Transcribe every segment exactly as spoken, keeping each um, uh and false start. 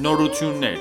Նորություններ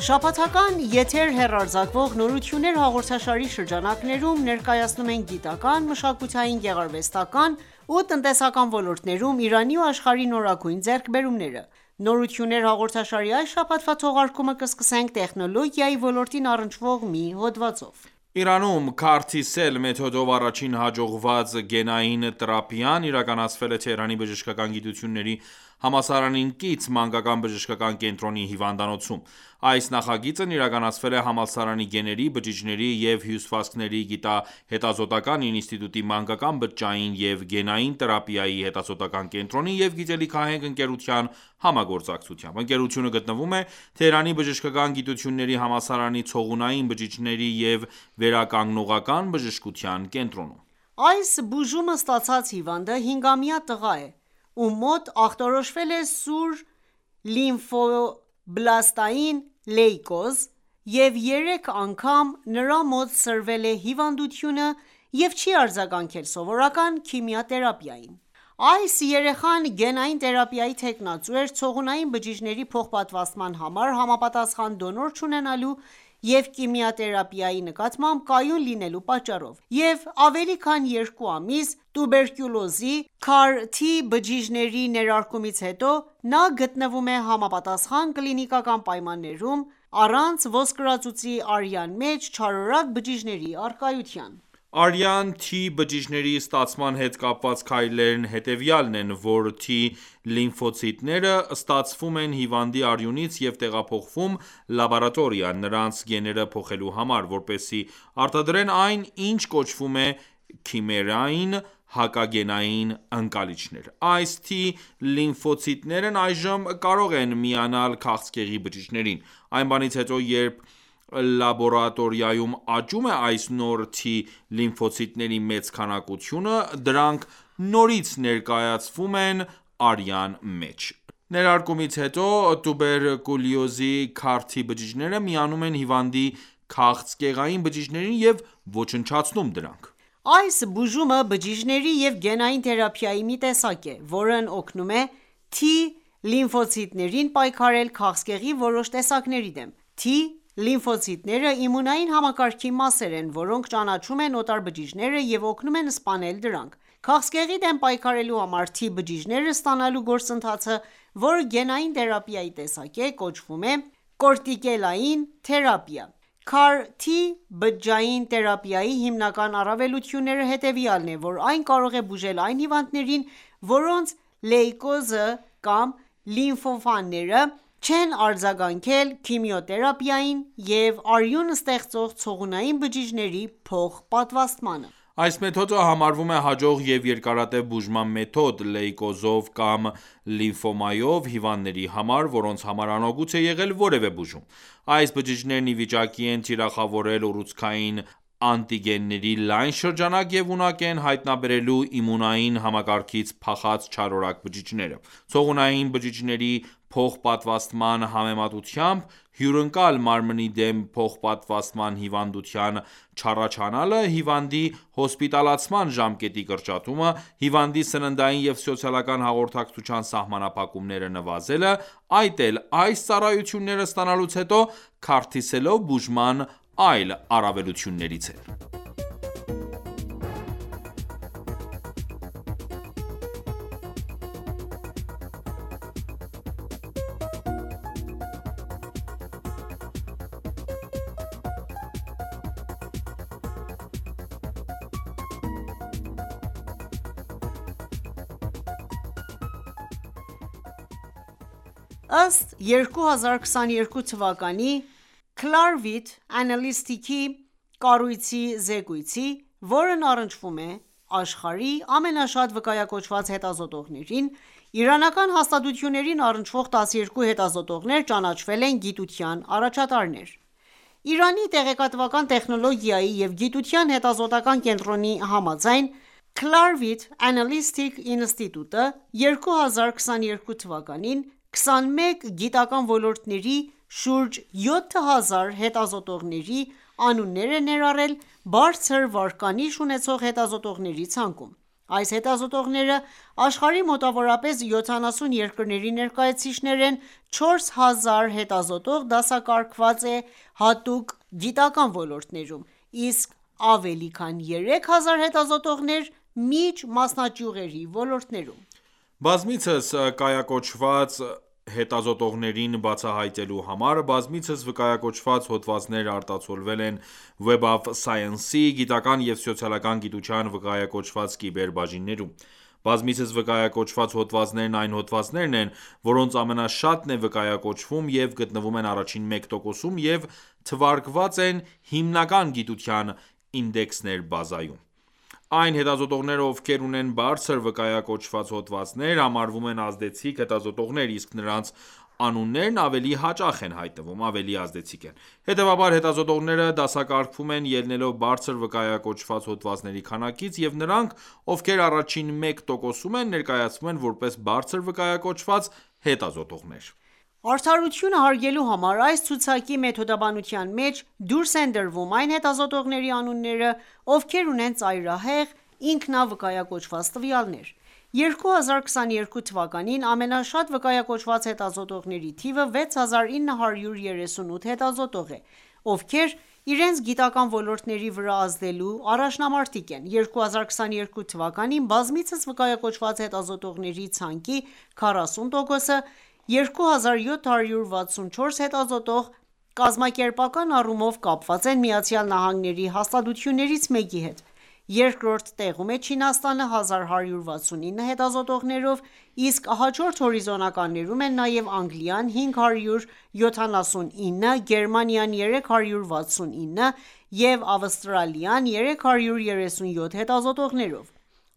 Շաբաթական եթեր հեռարձակվող «Նորություններ» հաղորդաշարի շրջանակներում ներկայացնում ենք գիտական, մշակութային, գեղարվեստական ու տնտեսական ոլորտներում Իրանի ու աշխարհի նորագույն ձեռքբերումները: «Նորություններ» հաղորդաշարի այս շաբաթվա թողարկումը կսկսենք տեխնոլոգիայի ոլորտին առնչվող մի հոդվածով: Իրանում Curtis-Cell մեթոդով առաջին հաջողված գենային թերապիան իրականացվել է Թեհրանի բժշկական գիտությունների համալսարանին կից մանկական բժշկական կենտրոնի հիվանդանոցում: Այս նախագիծն իրականացվել է համալսարանի գեների, բջիջների և հյուսվածքների գիտահետազոտական ինստիտուտի մանկական բջջային և գենային թերապիայի հետազոտական կենտրոնի և գիտելիքահենք ընկերության համագործակցությամբ: Ընկերությունը գտնվում է Թեհրանի բժշկական գիտությունների համալսարանի ցողունային բջիջների և վերականգնողական բժշկության կենտրոնում: Այս բուժումը ստացած հիվանդը հինգամյա տղա է, ում մոտ ախտորոշվել է սուր լիմֆոբլաստային լեյկոզ և երեք անգամ նրա մոտ սրվել է հիվանդությունը և չի արձագանքել սովորական քիմիաթերապիային: Այս երեխան գենային թերապիայի թեկնածու էր ցողունային բջիջների փոխպատվաստման համար համապատասխան դոնոր չունենալու և քիմիաթերապիայի նկատմամբ կայուն լինելու պատճառով և ավելի քան երկու ամիս տուբերկուլոզի (քար-T) բջիջների ներարկումից հետո նա գտնվում է համապատասխան կլինիկական պայմաններում առանց ոսկրածուծի արյան մեջ չարորակ բջիջների առկայության: Արյան T բջիջների ստացման հետ կապված քայլերն հետևյալն են, որ T լիմֆոցիտները ստացվում են հիվանդի արյունից և տեղափոխվում լաբորատորիա՝ նրանց գեները փոխելու համար, որպեսզի արտադրեն այն, ինչ կոչվում է քիմերային հակագենային ընկալիչներ: Այս T լիմֆոցիտներն այժմ կարող են միանալ քաղցկեղի բջիջներին: Այն բանից հետո, երբ լաբորատորիայում աճում է այս նոր T լիմֆոցիտների մեծ քանակությունը, դրանք նորից ներկայացվում են արյան մեջ: Ներարկումից հետո տուբերկուլյոզի քար-T բջիջները միանում են հիվանդի քաղցկեղային բջիջներին և ոչնչացնում դրանք: Այս բուժումը բջիջների և գենային թերապիայի մի տեսակ է, որն օգնում է T լիմֆոցիտներին պայքարել քաղցկեղի որոշ տեսակների դեմ: T լիմֆոցիտները իմունային համակարգի մասեր են, որոնք ճանաչում են օտար բջիջները և օգնում են սպանել դրանք: Քաղցկեղի դեմ պայքարելու համար T բջիջները ստանալու գործընթացը, որը գենային թերապիայի տեսակ է, կոչվում է կորտիկելային թերապիա: քար-T բջջային թերապիայի հիմնական առավելությունները հետևյալն է, որ այն կարող է բուժել այն հիվանդներին, որոնց լեյկոզը կամ լիմֆոմաները չեն արձագանքել քիմիոթերապիային և արյուն ստեղծող ցողունային բջիջների փոխպատվաստմանը: Այս մեթոդը համարվում է հաջող և երկարատև բուժման մեթոդ լեյկոզով կամ լիմֆոմայով հիվանդների համար, որոնց համար անօգուտ է եղել որևէ բուժում: Այս բջիջներն ի վիճակի են թիրախավորել ուռուցքային անտիգենների լայն շրջանակ և ունակ են հայտնաբերելու իմունային համակարգից փախած չարորակ բջիջները: Ցողունային բջիջների փոխպատվաստման համեմատությամբ հյուրընկալ մարմնի դեմ փոխպատվաստման հիվանդության չառաջանալը, հիվանդի հոսպիտալացման ժամկետի կրճատումը, հիվանդի սննդային և սոցիալական հաղորդակցության սահմանափակումները նվազելը, այդ էլ այս ծառայությունները ստանալուց հետո Curtis-Cell-ով բուժման այլ առավելություններից է: Ըստ երկու հազար քսաներկու թվականի Clarivate Analytics-ի կառույցի զեկույցի, որն առնչվում է աշխարհի ամենաշատ վկայակոչված հետազոտողներին, իրանական հաստատություններին առնչվող տասներկու հետազոտողներ ճանաչվել են գիտության առաջատարներ: Իրանի տեղեկատվական տեխնոլոգիայի և գիտության հետազոտական կենտրոնի համաձայն, Clarivate Analytics ինստիտուտը երկու հազար քսաներկու թվականին քսանմեկ գիտական ոլորտների շուրջ յոթ հազար հետազոտողների անուններ է ներառել բարձր վարկանիշ ունեցող հետազոտողների ցանկում: Այս հետազոտողները աշխարհի մոտավորապես յոթանասուն երկրների ներկայացուցիչներ են, չորս հազար հետազոտող դասակարգված է հատուկ գիտական ոլորտներում, իսկ ավելի քան երեք հազար հետազոտողներ միջ-մասնաճյուղերի ոլորտներում: Բազմիցս կայակոչված հետազոտողներին բացահայտելու համար բազմիցս վկայակոչված հոդվածներ արտացոլվել են Web of Science-ի գիտական և սոցիալական գիտության վկայակոչված կիբեր բաժիններում: Բազմիցս վկայակոչված հոդվածներն այն հոդվածներն են, որոնց ամենաշատն է վկայակոչվում և գտնվում են առաջին մեկ տոկոսում և թվարկված են հիմնական գիտության ինդեքսներ բազայում: Այն հետազոտողները, ովքեր ունեն բարձր վկայակոչված հոդվածներ, համարվում են ազդեցիկ հետազոտողներ, իսկ նրանց անուններն ավելի հաճախ են հայտնվում, ավելի ազդեցիկ են: Հետևաբար, հետազոտողները դասակարգվում են ելնելով բարձր վկայակոչված հոդվածների քանակից, և նրանք, ովքեր առաջին մեկ տոկոսում են, ներկայացվում են որպես բարձր վկայակոչված հետազոտողներ: Արդարությունը հարգելու համար այս ցուցակի մեթոդաբանության մեջ դուրս են դրվում այն հետազոտողների անունները, ովքեր ունեն ծայրահեղ ինքնավկայակոչված տվյալներ: երկու հազար քսաներկու թվականին ամենաշատ վկայակոչված հետազոտողների թիվը վեց հազար ինը հարյուր երեսունութ հետազոտող է, ովքեր իրենց գիտական ոլորտների վրա ազդելու առաջնամարտիկ են: երկու հազար քսաներկու թվականին բազմիցս վկայակոչված հետազոտողների ցանկի քառասուն տոկոսը երկու հազար յոթ հարյուր վաթսունչորս հետազոտող կազմակերպական առումով կապված են ԱՄՆ-ի հաստատություններից մեկի հետ: Երկրորդ տեղում է Չինաստանը հազար հարյուր վաթսունինը հետազոտողներով, իսկ հաջորդ հորիզոնականներում են նաև Անգլիան հինգ հարյուր յոթանասունինը, Գերմանիան երեք հարյուր վաթսունինը և Ավստրալիան երեք հարյուր երեսունյոթ հետազոտողներով: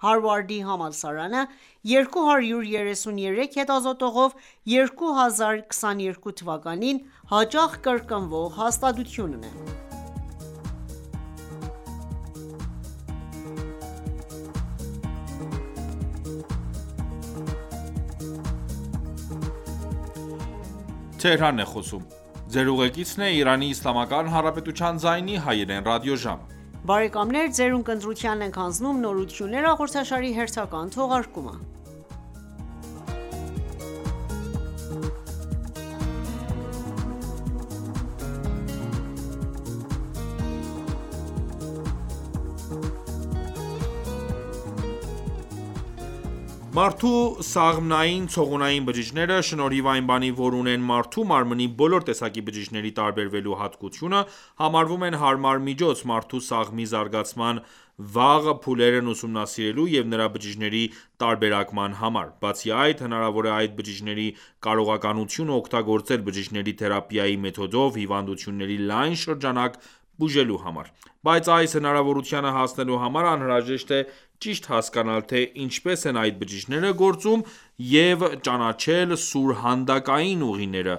Հարվարդի համալսարանը երկու հարյուր երեսուներեք հետազոտողով երկու հազար քսաներկու թվականին հաճախ կրկնվող հաստատությունն է: Մարդու սաղմնային ցողունային բջիջները, շնորհիվ այն բանի, որ ունեն մարդու մարմնի բոլոր տեսակի բջիջների տարբերվելու հատկությունը, համարվում են հարմար միջոց մարդու սաղմի զարգացման վաղ փուլերն ուսումնասիրելու և նրա բջիջների տարբերակման համար: Բացի այդ, հնարավոր է այդ բջիջների կարողականությունը օգտագործել բջիջների թերապիայի մեթոդով հիվանդությունների լայն շրջանակ բուժելու համար: Բայց այս հնարավորությանը հասնելու համար անհրաժեշտ է ճիշտ հասկանալ, թե ինչպես են այդ բջիջները գործում և ճանաչել սուրհանդակային ուղիները,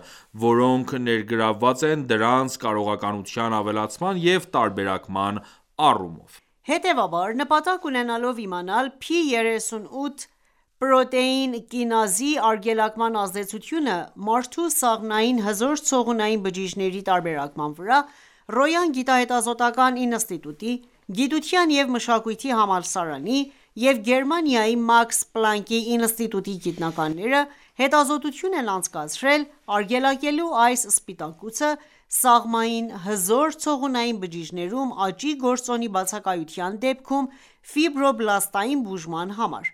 որոնք ներգրավված են դրանց կարողականության ավելացման և տարբերակման առումով: Հետևաբար, նպատակ ունենալով իմանալ P երեսունութ պրոտեին կինազի արգելակման ազդեցությունը մարդու սաղմնային հզոր ցողունային բջիջների տարբերակման վրա, Ռոյան գիտահետազոտական ինստիտուտի, Գիտության և մշակույթի համալսարանի և Գերմանիայի Մաքս Պլանկի ինստիտուտի գիտնականները հետազոտություն են անցկացրել՝ արգելակելու այս սպիտակուցը սաղմային հզոր ցողունային բջիջներում աճի գործոնի բացակայության դեպքում ֆիբրոբլաստային բուժման համար: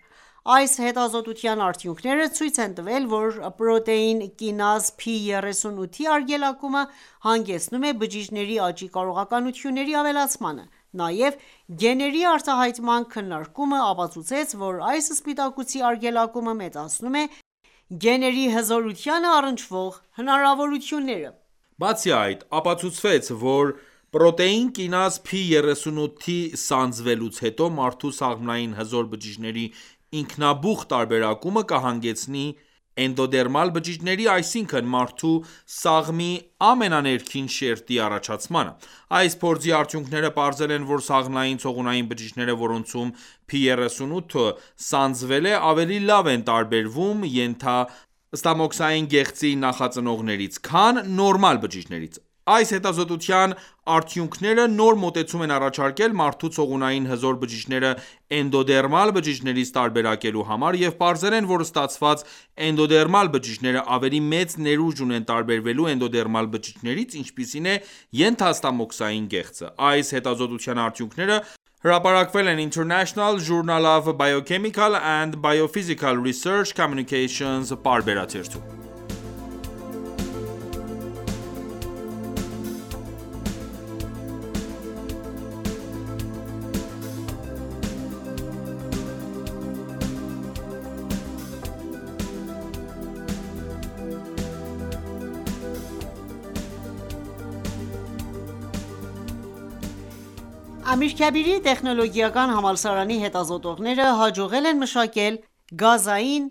Այս հետազոտության արդյունքները ցույց են տվել, որ պրոտեին կինազ P երեսունութի արգելակումը հանգեցնում է բջիջների աճի կարողականությունների ավելացմանը: Նաև գեների արտահայտման քննարկումը ապացուցեց, որ այս սպիտակուցի արգելակումը մեծացնում է գեների հզորությանը առնչվող հնարավորությունները: Բացի այդ, ապացուցվեց, որ պրոտեին կինազ P երեսունութի սանձվելուց հետո մարդու սաղմնային հզոր բջիջների ինքնաբուխ տարբերակումը կհանգեցնի էնդոդերմալ բջիջների, այսինքն մարդու սաղմի ամենաներքին շերտի առաջացմանը: Այս փորձի արդյունքները պարզել են, որ սաղմնային ցողունային բջիջները, որոնցում P երեսունութը սանձվել է, ավելի լավ են տարբերվում ենթաստամոքսային գեղձի նախածնողներից, քան նորմալ բջիջներից: Այս հետազոտության արդյունքները նոր մոտեցում են առաջարկել մարդու ցողունային հզոր բջիջները էնդոդերմալ բջիջներից տարբերակելու համար և պարզել են, որ ստացված էնդոդերմալ բջիջները ավելի մեծ ներուժ ունեն տարբերվելու էնդոդերմալ բջիջներից, ինչպիսին է ենթաստամոքսային գեղձը: Այս հետազոտության արդյունքները հրապարակվել են International Journal of Biochemical and Biophysical Research Communications պարբերաթերթում: Ամիրքաբիրի տեխնոլոգիական համալսարանի հետազոտողները հաջողել են մշակել գազային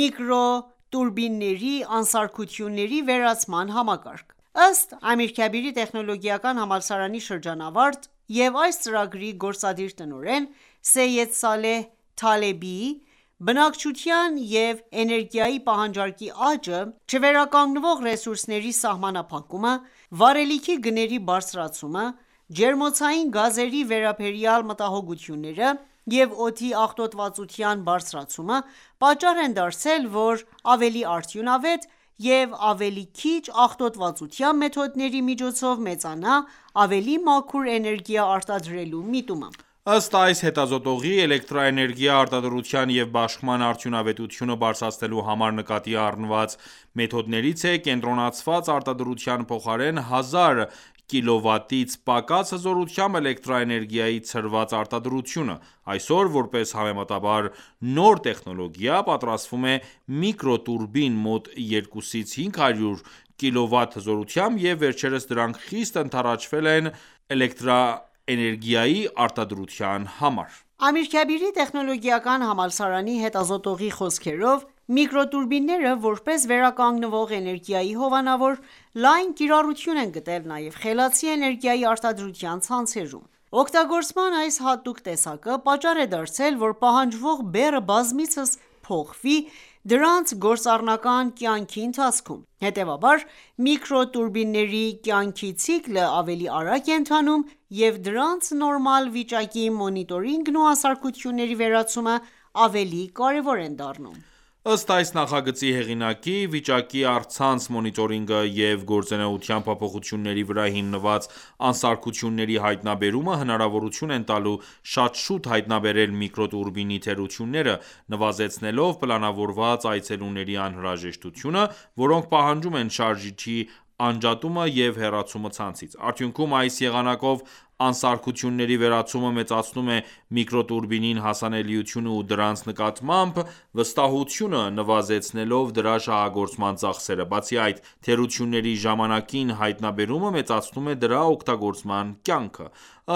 միկրոտուրբինների անսարքությունների վերացման համակարգ: Ըստ Ամիրքաբիրի տեխնոլոգիական համալսարանի շրջանավարտ և այս ծրագրի գործադիր տնօրեն Սեյեդ Սալեհ Թալեբիի, բնակչության և էներգիայի պահանջարկի աճը, չվերականգնվող ռեսուրսների սահմանափակումը, վառելիքի գների բարձրացումը, ջերմոցային գազերի վերաբերյալ մտահոգությունները և օդի աղտոտվածության բարձրացումը պատճառ են դարձել, որ ավելի արդյունավետ և ավելի քիչ աղտոտվածության մեթոդների միջոցով մեծանա ավելի մաքուր էներգիա արտադրելու միտումը: Ըստ այս հետազոտողի, էլեկտրաէներգիա արտադրության և բաշխման արդյունավետությունը բարձրացնելու համար նկատի առնված մեթոդներից է կենտրոնացված արտադրության փոխարեն հազար կՎտ-ից պակաս հզորությամբ էլեկտրաէներգիայի ցրված արտադրությունը: Այսօր, որպես համեմատաբար նոր տեխնոլոգիա, պատրաստվում է միկրոտուրբին մոտ երկուսից հինգ հարյուր կՎտ հզորությամբ և վերջերս դրանք խիստ ընդառաջվել են էլեկտրաէներգիայի արտադրության համար: Ամիրքաբիրի տեխնոլոգիական համալսարանի հետազոտողի խոսքերով, միկրոտուրբինները, որպես վերականգնվող էներգիայի հովանավոր, լայն կիրառություն են գտել նաև խելացի էներգիայի արտադրության ցանցերում: Օգտագործման այս հատուկ տեսակը պատճառ է դարձել, որ պահանջվող բեռը բազմիցս փոխվի դրանց գործառնական կյանքի ընթացքում: Հետևաբար, միկրոտուրբինների կյանքի ցիկլը ավելի արագ է ընթանում և դրանց նորմալ վիճակի մոնիտորինգն ու անսարքությունների վերացումը ավելի կարևոր են դառնում: Ըստ այս նախագծի հեղինակի, վիճակի առցանց մոնիտորինգը և գործունեության փոփոխությունների վրա հիմնված անսարքությունների հայտնաբերումը հնարավորություն են տալու շատ շուտ հայտնաբերել միկրոտուրբինի թերությունները, նվազեցնելով պլանավորված այցելուների անհրաժեշտությունը, որոնք պահանջում են շարժիչի անջատումը և հեռացումը ցանցից: Արդյունքում, այս եղանակով անսարքությունների վերացումը մեծացնում է միկրոտուրբինին հասանելիությունը ու դրանց նկատմամբ վստահությունը, նվազեցնելով դրա շահագործման ծախսերը: Բացի այդ, թերությունների ժամանակին հայտնաբերումը մեծացնում է դրա օգտագործման կյանքը: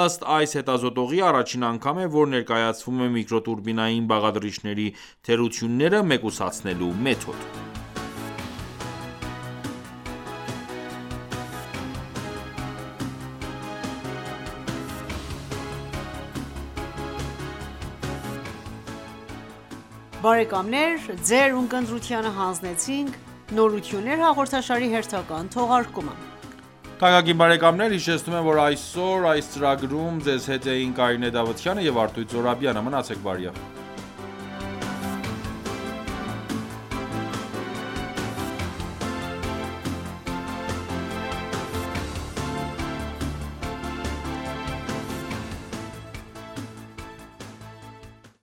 Ըստ այս հետազոտողի, առաջին անգամ է, որ ներկայացվում է միկրոտուրբինային բաղադրիչների թերությունները մեկուսացնելու մեթոդ: